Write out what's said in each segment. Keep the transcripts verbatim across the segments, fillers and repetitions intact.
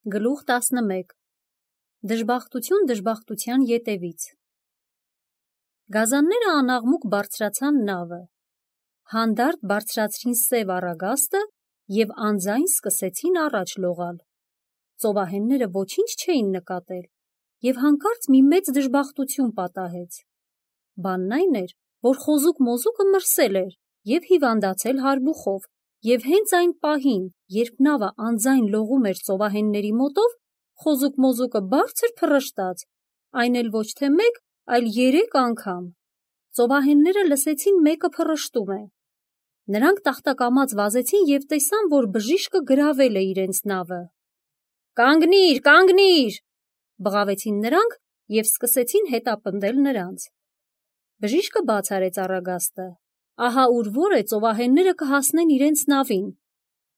Գլուխ տասնմեկ Դժբախտություն դժբախտության ետևից Գազանները անաղմուկ բարձրացան նավը, հանդարտ բարձրացրին սև առագաստը և անձայն սկսեցին առաջ լողալ։ Ծովահենները ոչինչ չէին նկատել և հանկարծ մի մեծ դժբախտություն պատահեց։ Բանն այն էր, որ խոզուկ մոզուկը մրսել էր և հիվանդացել հարբուխով, և հենց այն պահին, երբ նավը անձայն լողում էր ծովահենների մոտով, խոզուկ մոզուկը բարձր փռշտաց, այն էլ ոչ թե մեկ, այլ երեք անգամ։ Ծովահենները լսեցին մեկը փռշտում է։ Նրանք տախտակամած վազեցին և տեսան, որ բժիշկը գրավել է իրենց նավը։ «Կանգնի՛ր, կանգնի՛ր», բղավեցին նրանք և սկսեցին հետապնդել նրանց։ Բժիշկը բաց արեց առագաստը։ Ահա ուր որ է ծովահենները կհասնեն իրենց նավին,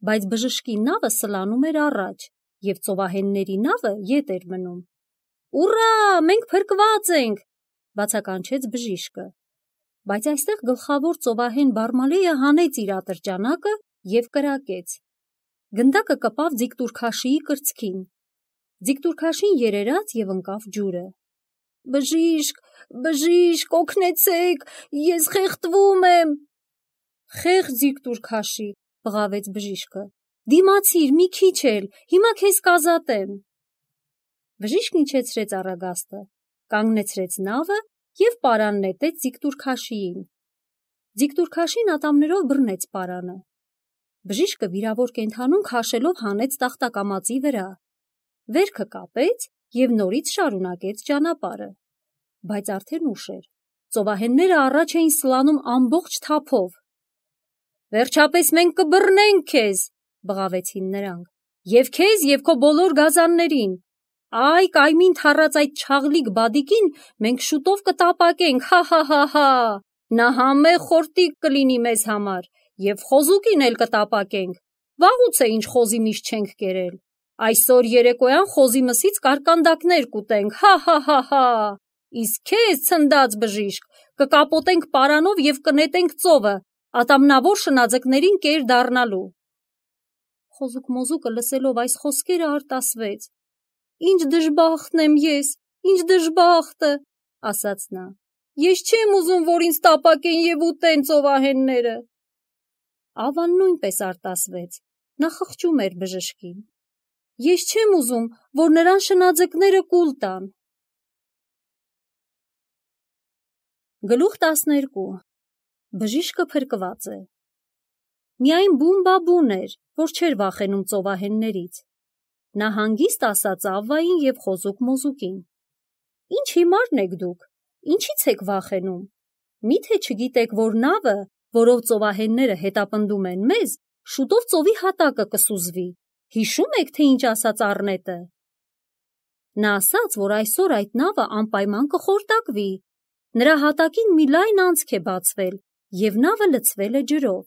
բայց բժշկի նավը սլանում էր առաջ, և ծովահենների նավը ետ էր մնում։ «Ուռա, մենք փրկված ենք», բացականչեց բժիշկը։ Բայց այստեղ գլխավոր ծովահեն Բարմալեյը հանեց իր ատրճանակը և կրակեց։ Գնդակը կպավ ձիգտուրքաշիի կրծքին։ Ձիգտուրքաշին երերաց և ընկավ ջուրը։ «Բժիշկ, բժիշկ, օգնեցեք, ես խեղդվում եմ»։ «Խեղճ ձիգտուրքաշի», բղավեց բժիշկը, «դիմացիր մի քիչ էլ, հիմա քեզ կազատեմ»։ Բժիշկն իջեցրեց առագաստը, կանգնեցրեց նավը և պարան նետեց ձիգտուրքաշիին։ Ձիգտուրքաշին ատամներով բռնեց պարանը։ Բժիշկը վիրավոր կենդանուն քաշելով հանեց տախտակամածի վրա, վերքը կապեց և նորից շարունակեց ճանապարհը։ Բայց արդեն ուշ էր։ Ծովահենները առաջ էին սլանում ամբողջ թափով։ «Վերջապես մենք կբռնենք քեզ», բղավեցին նրանք, «և քեզ, և քո բոլոր գազաններին։ Այ կայմին թառած այդ չաղլիկ բադիկին մենք շուտով կտապակենք, հա՛֊հա՛֊հա՛։ Նա համեղ խորտիկ կլինի մեզ համար, և խոզուկին էլ կտապակենք։ Վաղուց է ինչ խոզի միս չենք կերել։ Այսօր երեկոյան խոզի մսից կարկանդակներ կուտենք, հա՛֊հա՛֊հա՛։ Իսկ քեզ, ցնդած բժիշկ, կկապոտենք պարանով և կնետենք ծովը, ատամնավոր շնաձկներին կեր դառնալու»։ Խոզուկ մոզուկը լսելով այս խոսքերը արտասվեց։ «Ինչ դժբախտն եմ ես, ինչ դժբախտը», ասաց նա։ «Ես չեմ ուզում, որ ինձ տապակեն և ուտեն ծովահենները»։ Ավան նույնպես արտասվեց, նա խղճում էր բժշկին։ «Ես չեմ ուզում, որ նրան շնաձկները կուլ տան»։ Գլուխ տասներկու Բժիշկը փրկված է։ Միայն Բումբաբուն էր, որ չէր վախենում ծովահեններից։ Նա հանգիստ ասաց Ավվային և խոզուկ մոզուկին. «Ինչ հիմարն եք դուք, ինչի՞ց եք վախենում։ Մի՞թե չգիտեք, որ նավը, որով ծովահենները հետապնդում են մեզ, շուտով ծովի հատակը կսուզվի։ Հիշո՞ւմ եք, թե ինչ ասաց առնետը։ Նա ասաց, որ այսօր այդ նավը անպայման կխորտակվի։ Նրա հատակին մի լայն անցք է բացվել, և նավը լցվել է ջրով։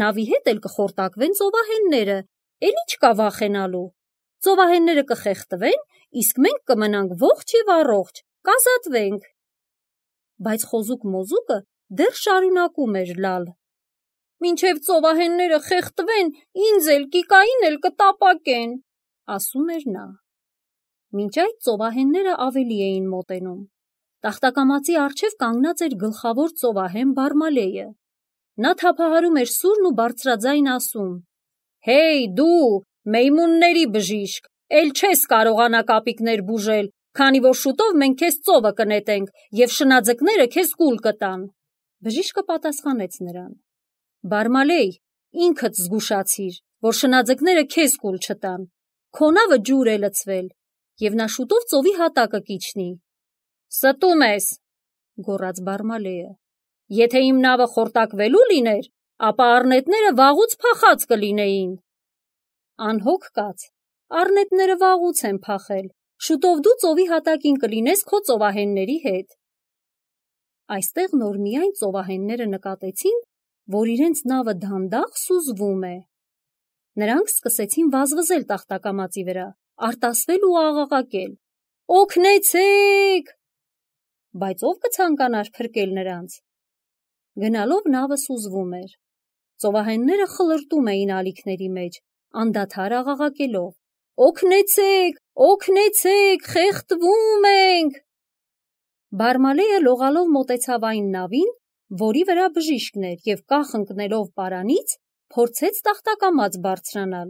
Նավի հետ էլ կխորտակվեն ծովահենները, էլ ի՞նչ կա վախենալու։ Ծովահենները կխեղդվեն, իսկ մենք կմնանք ողջ և առողջ, կազատվենք»։ Բայց խոզուկ մոզուկը դեռ շարունակում էր լալ։ «Մինչև ծովահենները խեղդվեն, ինձ էլ, Կիկային էլ կտապակեն», ասում էր նա։ Մինչ այդ ծովահենները ավելի էին մոտենում։ Տախտակամածի առջև կանգնած էր գլխավոր ծովահեն Բարմալեյը։ Նա թափահարում էր սուրն ու բարձրաձայն ասում. «Հեյ դու, մեյմունների բժիշկ, էլ չես կարողանա կապիկներ բուժել, քանի որ շուտով մենք քեզ ծովը կնետենք, և շնաձկները քեզ կուլ կտան»։ Բժիշկը պատասխանեց նրան. «Բարմալեյ, ինքդ զգուշացիր, որ շնաձկները քեզ կուլ չտան։ Քո նավը ջուր է լցվել, և նա շուտով ծովի հատակը կիջնի»։ «Ստում ես», գոռաց Բարմալեյը։ «Եթե իմ նավը խորտակվելու լիներ, ապա առնետները վաղուց փախած կլինեին»։ «Անհոգ կաց, առնետները վաղուց են փախել, շուտով դու ծովի հատակին կլինես քո ծովահենների հետ»։ Այստեղ նոր միայն ծովահենները նկատեցին, որ իրենց նավը դանդաղ սուզվում է։ Նրանք սկսեցին վազվզել տախտակամածի վրա, արտասվել ու աղաղակել. «Օգնեցե՛ք»։ Բայց ո՞վ կցանկանար փրկել նրանց։ Գնալով նավը սուզվում էր։ Ծովահենները խլրտում էին ալիքների մեջ, անդադար աղաղակելով. Օգնեցեք, օգնեցեք, խեղդվում ենք։ Բարմալեյը լողալով մոտեցավ այն նավին, որի վրա բժիշկն էր, և կախ ընկնելով պարանից, փորձեց տախտակամած բարձրանալ,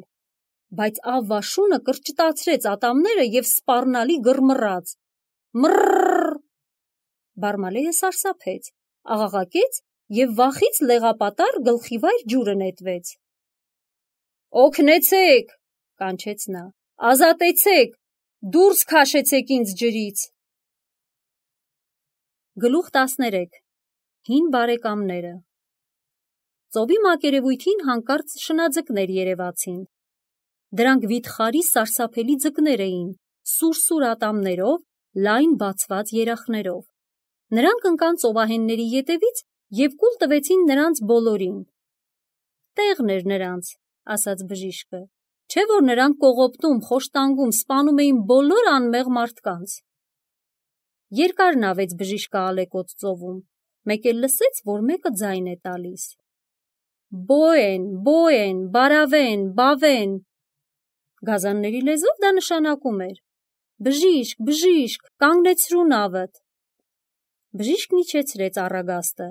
բայց ավվաշունը կրճտացրեց ատամները և սպառնալի գռմռաց. Մռռռ։ Բարմալեյը սարսափեց, աղաղակեց և վախից լեղապատառ գլխիվայր ջուրը նետվեց։ Օգնեցեք, կանչեց նա, ազատեցեք, դուրս քաշեցեք ինձ ջրից։ Գլուխ տասներեք։ Հին բարեկամները։ Ծովի մակերևույթին հանկարծ շնաձկներ երևացին։ Դրանք վիթխարի սարսափելի ձկներ էին, սուր-սուր ատամներով, լայն բացված երախներով։ Նրանք ընկան ծովահենների ետևից և կուլ տվեցին նրանց բոլորին։ Տեղն էր նրանց, ասաց բժիշկը, չէ որ նրանք կողոպտում, խոշտանգում, սպանում էին բոլոր անմեղ մարդկանց։ Երկար նավեց բժիշկը ալեկոծ ծովում, մեկ էլ լսեց, որ մեկը ձայն է տալիս. Բոեն, բոեն, բարավեն, բավեն։ Գազանների լեզվով դա նշանակում էր. Բժիշկ, բժիշկ, կանգնեցրու նավըդ։ Բժիշկն իջեցրեց առագաստը,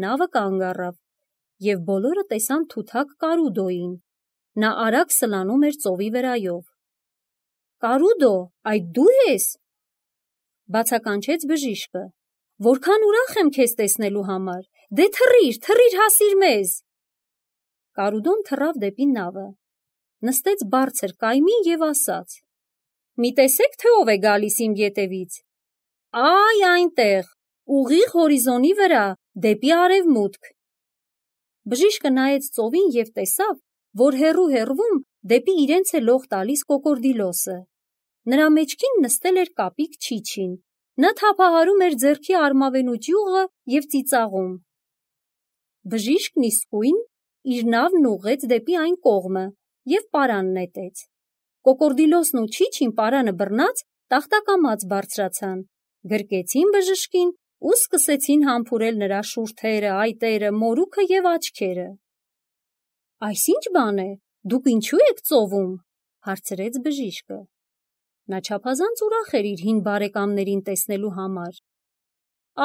նավը կանգ առավ, և բոլորը տեսան թութակ Կարուդոյին։ Նա արագ սլանում էր ծովի վրայով։ Կարուդո, այդ դու ես։ Բացականչեց բժիշկը, որքան ուրախ եմ քեզ տեսնելու համար, դե թռիր, թռիր հասիր մեզ։ Կարուդոն թռավ դեպի նավը, նստեց բարձր կայմին և ասաց. Մի տեսեք, թե ով է գալիս իմ ետևից։ Այ այնտեղ, ուղիղ հորիզոնի վրա, դեպի արևմուտք։ Բժիշկը նայեց ծովին և տեսավ, որ հեռու-հեռվում դեպի իրենց է լող տալիս կոկորդիլոսը։ Նրա մեջքին նստել էր կապիկ Չիչին, նա թափահարում էր ձեռքի արմավենու ճյուղը և ծիծաղում։ Բժիշկն իսկույն իր նավն ուղղեց դեպի այն կողմը և պարան նետեց։ Կոկորդիլոսն ու Չիչին պարանը բռնած տախտակամած բարձրացան, գրկեցին բժշկին ու սկսեցին համբուրել նրա շուրթերը, այտերը, մորուքը և աչքերը։ Այս ի՞նչ բան է, դուք ինչու եք ծովում, հարցրեց բժիշկը։ Նա չափազանց ուրախ էր իր հին բարեկամներին տեսնելու համար։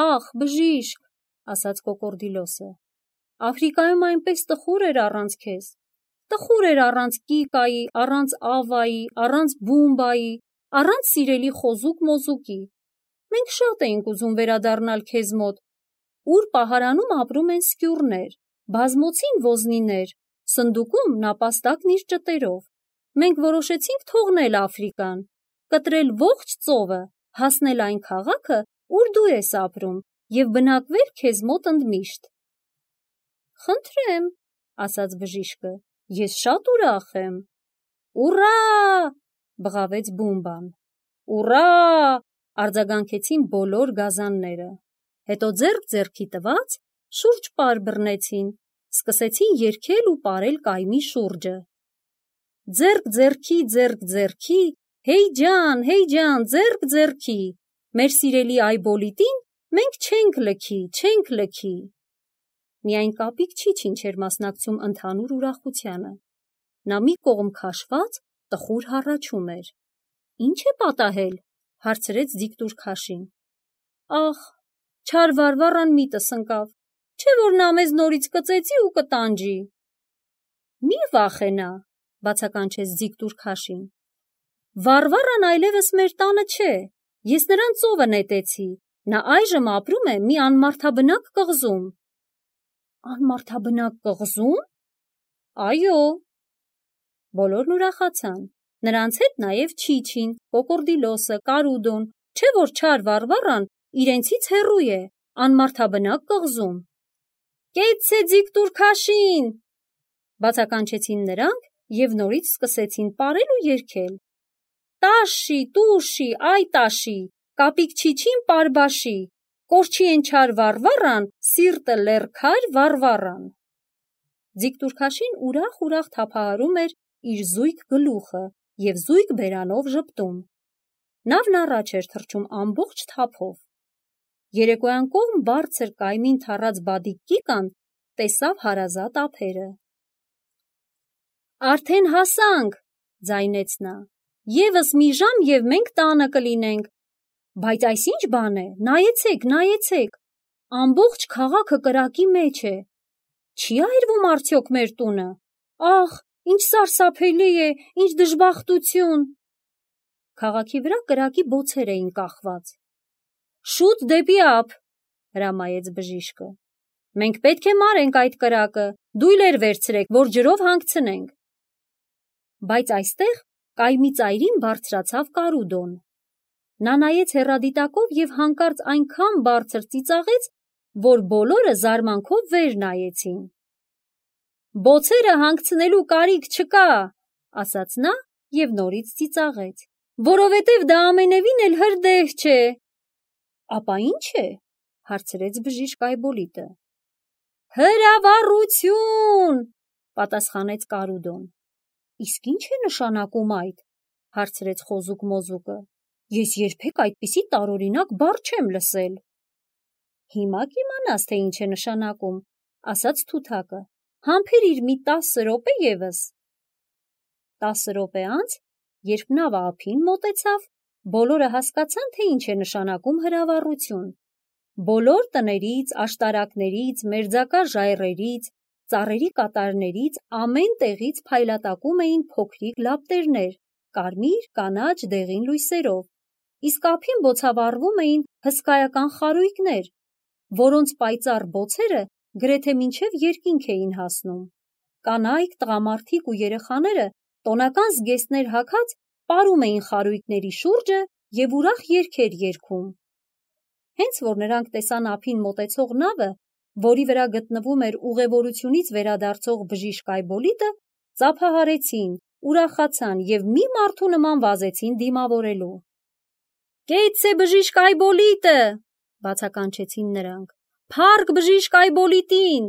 Ախ, բժիշկ, ասաց կոկորդիլոսը, Աֆրիկայում այնպես տխուր էր առանց քեզ, տխուր էր առանց Կիկայի, առանց Ավայի, առանց Բումբայի, առանց սիրելի խոզուկ-մոզուկի։ Մենք շատ էինք ուզում վերադառնալ քեզ մոտ, ուր պահարանում ապրում են սկյուռներ, բազմոցին ոզնիներ, սնդուկում նապաստակն իր ճտերով։ Մենք որոշեցինք թողնել Աֆրիկան, կտրել ողջ ծովը, հասնել այն քաղաքը, ուր դու ես ապրում, և բնակվել քեզ մոտ ընդմիշտ։ Խնդրեմ, ասաց բժիշկը, ես շատ ուրախ եմ։ Ուռա, բղավեց Բումբան։ Ուռա, արձագանքեցին բոլոր գազանները։ Հետո ձեռք ձեռքի տված շուրջ պար բռնեցին, սկսեցին երգել ու պարել կայմի շուրջը։ Ձեռք ձեռքի, ձեռք ձեռքի, հեյ ջան, հեյ ջան, ձեռք ձեռքի, մեր սիրելի Այբոլիտին մենք չենք լքի, չենք լքի։ Միայն կապիկ Չիչին չէր մասնակցում ընդհանուր ուրախությանը։ Նա մի կողմ քաշված տխուր հառաչում էր։ Ինչ է պատահել, հարցրեց Ձիգտուր Քաշին։ Ախ, չար Վարվառան միտս ընկավ, չէ որ նա մեզ նորից կծեծի ու կտանջի։ Մի վախենա, բացականչեց Ձիգտուր Քաշին։ Վարվառան այլևս մեր տանը չէ, ես նրան ծովը նետեցի, նա այժմ ապրում է մի անմարդաբնակ կղզում։ Անմարդաբնակ կղզում։ Այո։ Բոլորն ուրախացան, նրանց հետ նաև Չիչին, կոկորդիլոսը, Կարուդոն, չէ որ չար Վարվառան իրենցից հեռու է, անմարդաբնակ կղզում։ Կեցցե Ձիգտուր Քաշին, բացականչեցին նրանք և նորից սկսեցին պարել ու երգել։ Տաշի, տուշի, այ տաշի, կապիկ Չիչին պարբաշի, կորչի են չար Վարվառան, սիրտը լեռքար Վարվառան։ Ձիգտուր Քաշին ուրախ-ուրախ թափահարում էր իր զույգ գլուխը և զույգ բերանով ժպտում։ Նավն առաջ էր թռչում ամբողջ թափով։ Երեկոյան կողմ բարձր կայմին թռած Բադիկ Կիկան տեսավ հարազատ ափերը։ Արդեն հասանք, ձայնեց նա, Եվս մի ժամ և մենք տանը կլինենք։ Բայց այս ինչ բան է, նայեցեք, նայեցեք, ամբողջ քաղաքը կրակի մեջ է։ Չի այրվում արդյոք մեր տունը։ Ախ, ինչ սարսափելի է, ինչ դժբախտություն։ Քաղաքի վրա կրակի բոցեր էին կախված։ Շուտ դեպի ափ, հրամայեց բժիշկը։ Մենք պետք է մարենք այդ կրակը, դույլեր վերցրեք, որ ջրով հանգցնենք։ Բայց այստեղ կայմի ծայրին բարձրացավ Կարուդոն։ Նա նայեց հեռադիտակով և հանկարծ այնքան բարձր ծիծաղեց, որ բոլորը զարմանքով վեր նայեցին։ Բոցերը հանգցնելու կարիք չկա, ասաց նա և նորից ծիծաղեց, որովհետև դա ամենևին էլ հրդեհ չէ։ Ապա ի՞նչ է, հարցրեց բժիշկ Այբոլիտը։ Հրավառություն, պատասխանեց Կարուդոն։ Իսկ ի՞նչ է նշանակում այդ, հարցրեց խոզուկ մոզուկը։ Ես երբեք այդպիսի տարօրինակ բառ չեմ լսել։ Հիմա կիմանաս, թե ինչ է նշանակում, ասաց Թութակը։ Համբերիր մի տասը րոպե ևս։ Տասը րոպե անց, երբ նավը ափին մոտեցավ, բոլորը հասկացան, թե ինչ է նշանակում հրավառություն։ Բոլոր տներից, աշտարակներից, մերձակա ժայռերից, ծառերի կատարներից, ամեն տեղից փայլատակում էին փոքրիկ լապտերներ, կարմիր, կանաչ, դեղին լույսերով, իսկ ափին բոցավառվում էին հսկայական խարույկներ, որոնց պայծառ բոցերը գրեթե մինչև երկինք էին հասնում։ Կանայք, տղամարդիկ ու երեխաները տոնական զգեստներ հագած պարում էին խարույկների շուրջը և ուրախ երգեր երգում։ Հենց որ նրանք տեսան ափին մոտեցող նավը, որի վրա գտնվում էր ուղևորությունից վերադարձող բժիշկ Այբոլիտը, ծափահարեցին, ուրախացան և մի մարդու նման վազեցին դիմավորելու։ Կեցցե բժիշկ Այբոլիտը, բացականչեցին նրանք, փառք բժիշկ Այբոլիտին։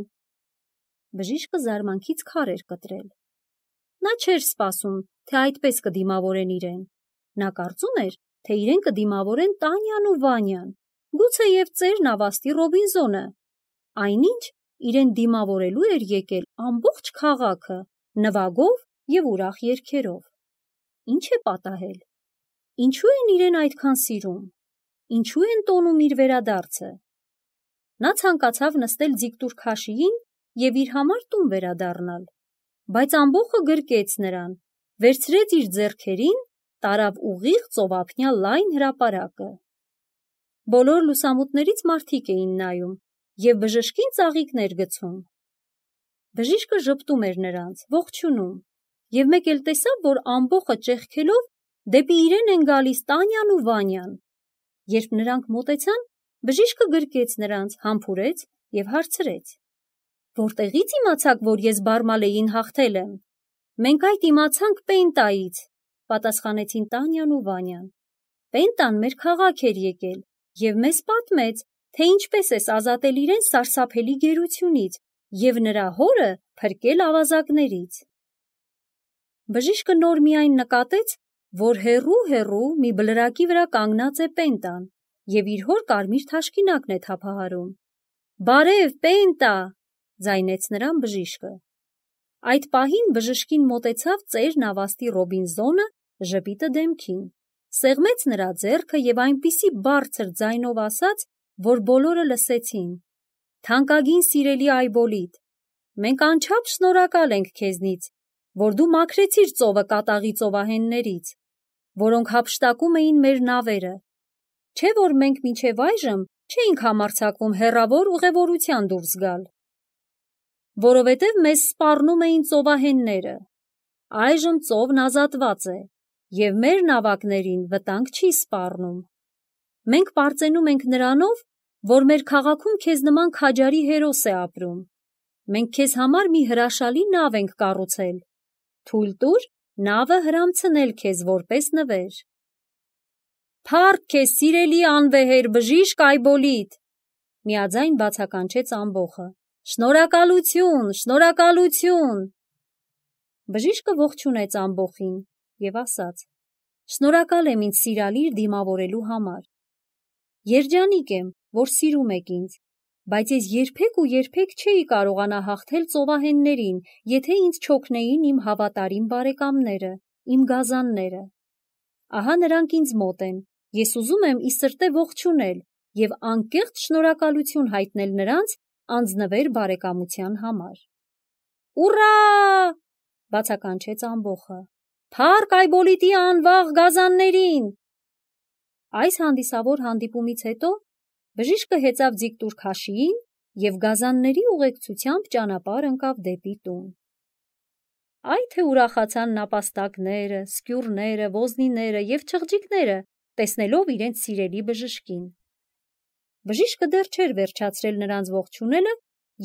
Բժիշկը զարմանքից քար էր կտրել։ Նա չէր սպասում, թե այդպես կդիմավորեն իրեն։ Նա կարծում էր, թե իրեն կդիմավորեն Տանյան ու Վանյան, գուցեև ծեր նավաստի Ռոբինզոնը։ Այնինչ իրեն դիմավորելու էր եկել ամբողջ քաղաքը, նվագով և ուրախ երգերով։ Ինչ է պատահել։ Ինչու են իրեն այդքան սիրում։ Ինչու են տոնում իր վերադարձը։ Նա ցանկացավ նստել ձիգտուր քաշիին և իր համար տուն վերադառնալ, բայց ամբոխը գրկեց նրան, վերցրեց իր ձեռքերին, տարավ ուղիղ ծովափնյա լայն հրապարակը։ Բոլոր լուսամուտներից մարդիկ էին նայում և բժշկին ծաղիկներ գցում։ Բժիշկը ժպտում էր նրանց, ողջունում, և մեկ էլ տեսավ, որ ամբոխը ճեղքելով դեպի իրեն են գալիս Տանյան ու Վանյան։ Երբ նրանք մոտեցան, բժիշկը գրկեց նրանց, համբուրեց և հարցրեց. Որտեղի՞ց իմացաք, որ ես Բարմալեին հաղթել եմ։ Մենք այդ իմացանք Պենտայից, պատասխանեցին Տանյան ու Վանյան։ Պենտան մեր քաղաք էր եկել և մեզ պատմեց, թե ինչպես ես ազատել իրեն սարսափելի գերությունից և նրա հորը փրկել ավազակներից։ Բժիշկը նոր միայն նկատեց, որ հեռու-հեռու մի բլրակի վրա կանգնած է Պենտան և իր հոր կարմիր թաշկինակն է թափահարում։ Բարև, Պենտա, ձայնեց նրան բժիշկը։ Այդ պահին բժշկին մոտեցավ ծեր նավաստի Ռոբինզոնը ժպիտը դեմքին, սեղմեց նրա ձեռքը և այնպիսի բարձր ձայնով ասաց, որ բոլորը լսեցին. Թանկագին սիրելի Այբոլիտ, մենք անչափ շնորհակալ ենք քեզնից, որ դու մաքրեցիր ծովը կատաղի ծովահեններից, որոնք հափշտակում էին մեր նավերը, չէ որ մենք մինչև այժմ չէինք համարձակվում հեռավոր ուղևորության դուրս գալ, որովհետև մեզ սպառնում էին ծովահենները։ Այժմ ծովն ազատված է, և մեր նավակներին վտանգ չի սպառնում։ Մենք պարծենում ենք նրանով, որ մեր քաղաքում քեզ նման քաջարի հերոս է ապրում։ Մենք քեզ համար մի հրաշալի նավ ենք կառուցել։ Թույլ տուր նավը հրամցնել քեզ որպես նվեր։ Փառք քեզ, սիրելի անվեհեր բժիշկ Այբոլիտ, միաձայն բացականչեց ամբոխը։ Շնորհակալություն, շնորհակալություն։ Բժիշկը ողջունեց ամբոխին և ասաց. Շնորհակալ եմ ինձ սիրալիր դիմավորելու համար։ Երջանիկ եմ, որ սիրում եք ինձ, բայց ես երբեք ու երբեք չէի կարողանա հաղթել ծովահեններին, եթե ինձ չօգնեին իմ հավատարիմ բարեկամները, իմ գազանները։ ահա նրանք ինձ մոտ են, ես ուզում եմ ի սրտե ողջունել և անկեղծ շնորհակալություն հայտնել նրանց անձնվեր բարեկամության համար։ Ուռա! Բացականչեց ամբոխը։ Փառք Այբոլիտի անվաղ գազաններին։ Այս հանդիսավոր հանդիպումից հետո բժիշկը հեծավ ձիգտուր քաշիին և գազանների ուղեկցությամբ ճանապարհ ընկավ դեպի տուն։ Այ թե ուրախացան նապաստակները, սկյուռները, ոզնիները և չղջիկները, տեսնելով իրենց սիրելի բժշկին։ Բժիշկը դեռ չէր վերջացրել նրանց ողջունելը,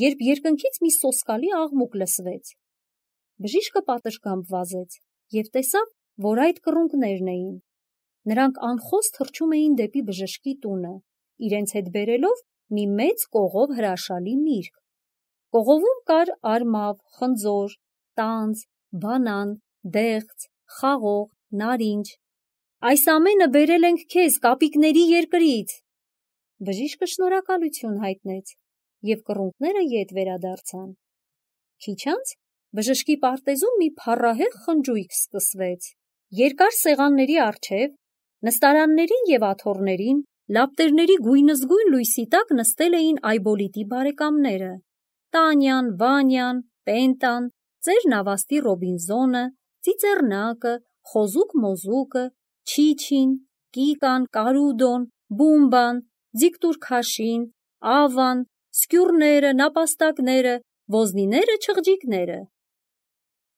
երբ երկնքից մի սոսկալի աղմուկ լսվեց։ Բժիշկը պատշգամբ վազեց և տեսավ, որ այդ կռունկներն էին։ Նրանք անխոս թռչում էին դեպի բժշկի տունը, իրենց հետ բերելով մի մեծ կողով հրաշալի միրգ։ Կողովում կար արմավ, խնձոր, տանձ, բանան, դեղց, խաղող, նարինջ։ Այս ամենը բերել ենք քեզ կապիկների երկրից։ Բժիշկը շնորհակալություն հայտնեց, և կռունկները ետ վերադարձան։ Քիչ անց բժշկի պարտեզում մի փառահեղ խնջույք սկսվեց։ Երկար սեղանների առջև, նստարաններին և աթոռներին, լապտերների գույնզգույն լույսի տակ նստել էին Այբոլիտի բարեկամները՝ Տանյան, Վանյան, Պենտան, ծեր Նավաստի Ռոբինզոնը, Ծիծեռնակը, Խոզուկ-Մոզուկը, Չիչին, Կիկան, Կարուդոն, Բումբան, ձիգտուր քաշին, Ավան, սկյուռները, նապաստակները, ոզնիները, չղջիկները։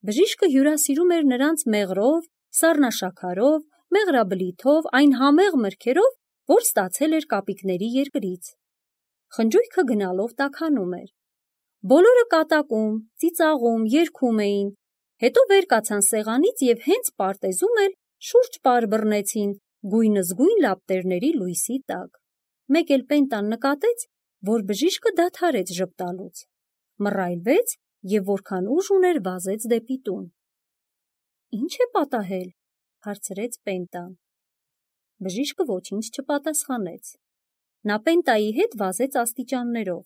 Բժիշկը հյուրասիրում էր նրանց մեղրով, սառնաշաքարով, մեղրաբլիթով, այն համեղ մրգերով, որ ստացել էր կապիկների երկրից։ Խնջույքը գնալով տաքանում էր։ Բոլորը կատակում, ծիծաղում, երգում էին, հետո վեր կացան սեղանից և հենց պարտեզում էլ շուրջ պար բռնեցին գույնզգույն լապտերների լույսի տակ։ Մեկ էլ Պենտան նկատեց, որ բժիշկը դադարեց ժպտալուց, մռայլվեց և որքան ուժ ուներ վազեց դեպի տուն։ Ի՞նչ է պատահել, հարցրեց Պենտան։ Բժիշկը ոչինչ չպատասխանեց։ Նա Պենտայի հետ վազեց աստիճաններով։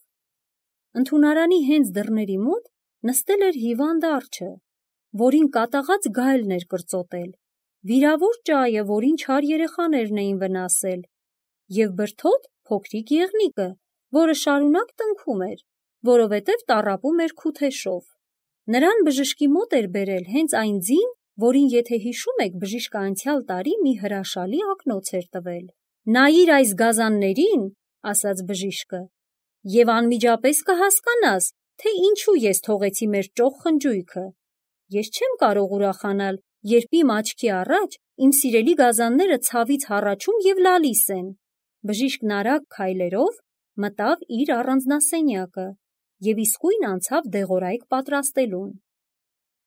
Ընդունարանի հենց դռների մոտ նստել էր հիվանդ արջը, որին կատաղած գայլն էր կրծոտել, վիրավոր ճայը, որին չար երեխաներն էին վնասել, և բրդոտ փոքրիկ եղնիկը, որը շարունակ տնքում էր, որովհետև տառապում էր քութեշով։ Նրան բժշկի մոտ էր բերել հենց այն ձին, որին, եթե հիշում եք, բժիշկը անցյալ տարի մի հրաշալի ակնոց էր տվել։ Նայիր այս գազաններին, ասաց բժիշկը, և անմիջապես կհասկանաս, թե ինչու ես թողեցի մեր ճոխ խնջույքը։ Ես չեմ կարող ուրախանալ, երբ իմ աչքի առաջ իմ սիրելի գազանները ցավից հառաչում և լալիս են։ Բժիշկն արագ քայլերով մտավ իր առանձնասենյակը և իսկույն անցավ դեղորայք պատրաստելուն։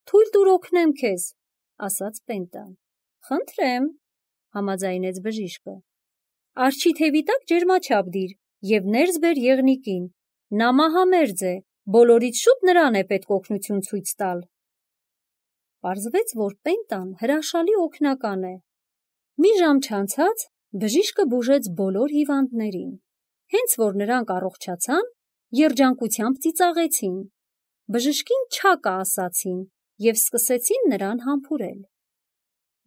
Թույլ տուր օգնեմ քեզ, ասաց Պենտան։ Խնդրեմ, համաձայնեց բժիշկը։ Արջի թևի տակ ջերմաչափ դիր և ներս բեր եղնիկին։ Նա մահամերձ է, բոլորից շուտ նրան է պետք օգնություն ցույց տալ։ Պարզվեց, որ Պենտան հրաշալի օգնական է։ Մի ժամ չանցած բժիշկը բուժեց բոլոր հիվանդներին։ Հենց որ նրանք առողջացան, երջանկությամբ ծիծաղեցին։ Բժշկին չակա ասացին և սկսեցին նրան համբուրել։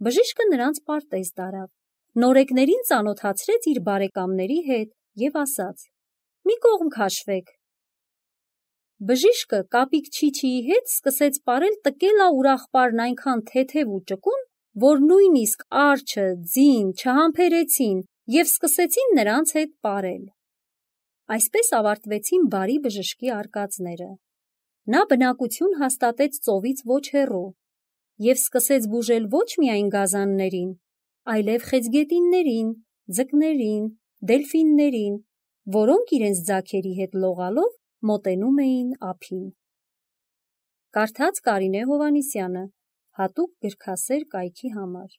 Բժիշկը նրանց պարտեզ տարավ, նորեկներին ծանոթացրեց իր բարեկամների հետ և ասաց. «Մի կողմ քաշվեք»։ Բժիշկը կապիկ Չիչիի հետ սկսեց պարել տկելա ուրախպարն այնքան թեթև ու ճկուն, որ նույնիսկ արջը, ձին չհամբերեցին և սկսեցին նրանց հետ պարել։ Այսպես ավարտվեցին բարի բժշկի արկածները։ Նա բնակություն հաստատեց ծովից ոչ հեռու և սկսեց բուժել ոչ միայն գազաններին, այլև խեցգետիններին, ձկներին, դելֆիններին, որոնք իրենց ձագերի հետ լողալով մոտենում էին ափին։ Կարդաց Կարինե Հովհաննիսյանը, հատուկ գրքասեր կայքի համար։